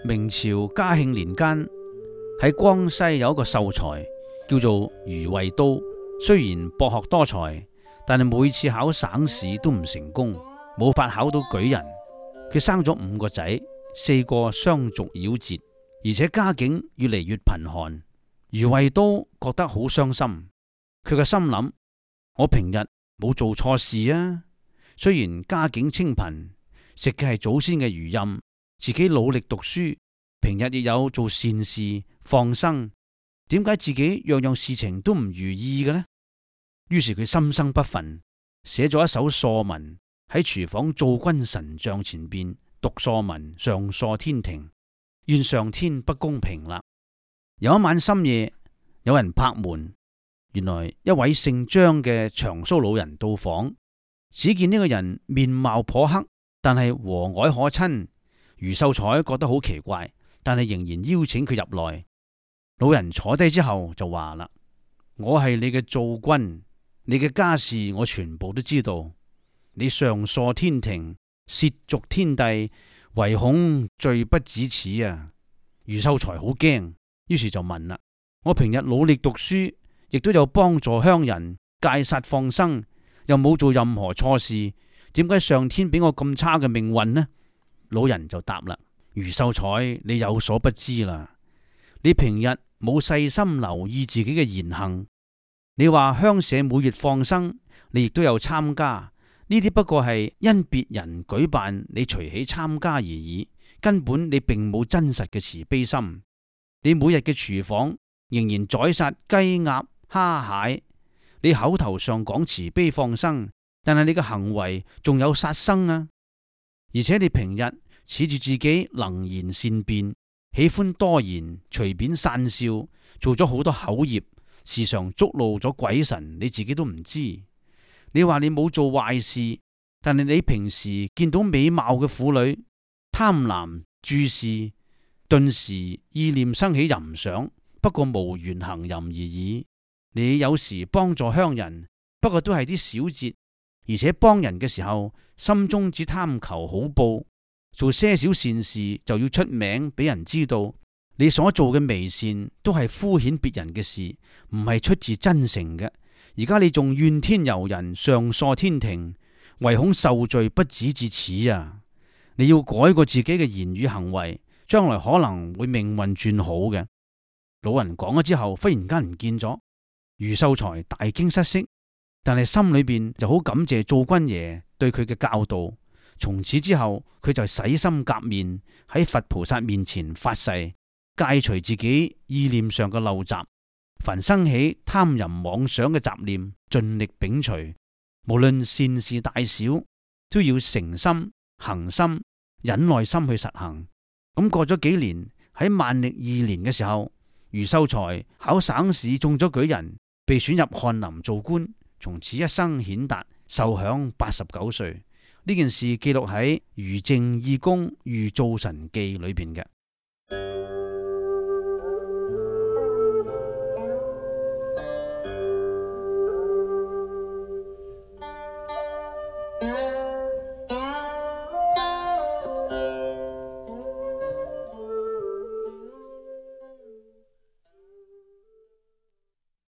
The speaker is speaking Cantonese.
明朝嘉慶年間，喺江西有一個秀才叫做余衛都，雖然博學多才，但係每次考省試都唔成功，冇法考到舉人。佢生咗5個仔，4個相續夭折，而且家境越嚟越貧寒。余衛都覺得好傷心，佢嘅心諗：我平日冇做錯事啊，雖然家境清貧，食嘅係祖先嘅餘蔭，自己努力讀書，平日亦有做善事放生，點解自己樣樣事情都唔如意嘅呢？於是佢心生不忿，寫咗一首疏文喺廚房灶君神像前邊讀疏文，上疏天庭，怨上天不公平啦。有一晚深夜，有人拍門，原來一位姓張嘅長鬚老人到訪。只見呢個人面貌頗黑，但係和藹可親。余秀才覺得好奇怪，但係仍然邀請佢入來。老人坐低之後就話啦：我係你嘅灶君，你嘅家事我全部都知道。你上疏天庭，褻瀆天地，唯恐罪不止此啊！余秀才好驚，於是就問啦：我平日努力讀書，亦都有幫助鄉人戒殺放生，又冇做任何錯事，點解上天俾我咁差嘅命運呢？老人就答啦：余秀才，你有所不知啦，你平日冇細心留意自己嘅言行。你話鄉社每月放生，你亦都有參加，呢啲不過係因別人舉辦，你隨喜參加而已，根本你並冇真實嘅慈悲心。你每日嘅廚房仍然宰殺雞鴨蝦蟹，你口頭上講慈悲放生，但係你嘅行為仲有殺生啊！而且你平日恃住自己能言善辯，喜歡多言，隨便散笑，做咗好多口業，時常觸怒咗鬼神，你自己都唔知。你話你冇做壞事，但係你平時見到美貌嘅婦女，貪婪注視，頓時意念生起淫想，不過無緣行淫而已。你有時幫助鄉人，不過都係啲小節，而且幫人嘅時候，心中只貪求好報，做些少善事就要出名俾人知道。你所做嘅微善都係敷衍別人嘅事，唔係出自真誠嘅。而家你仲怨天尤人，上疏天庭，唯恐受罪不止至此啊！你要改過自己嘅言語行為，將來可能會命運轉好嘅。老人講咗之後，忽然間唔見咗。余秀才大驚失色，但係心裏邊就好感謝灶君爺對佢嘅教導。從此之後，佢就洗心革面，喺佛菩薩面前發誓，戒除自己意念上嘅陋習，凡生起貪淫妄想嘅雜念，盡力摒除。無論善事大小，都要誠心、恒心、忍耐心去實行。咁過咗幾年，喺萬曆2年嘅時候，余秀才考省試中咗舉人，被選入翰林做官，從此一生顯達，壽享89歲。呢件事記錄喺《余正義公御灶神記》裏邊嘅。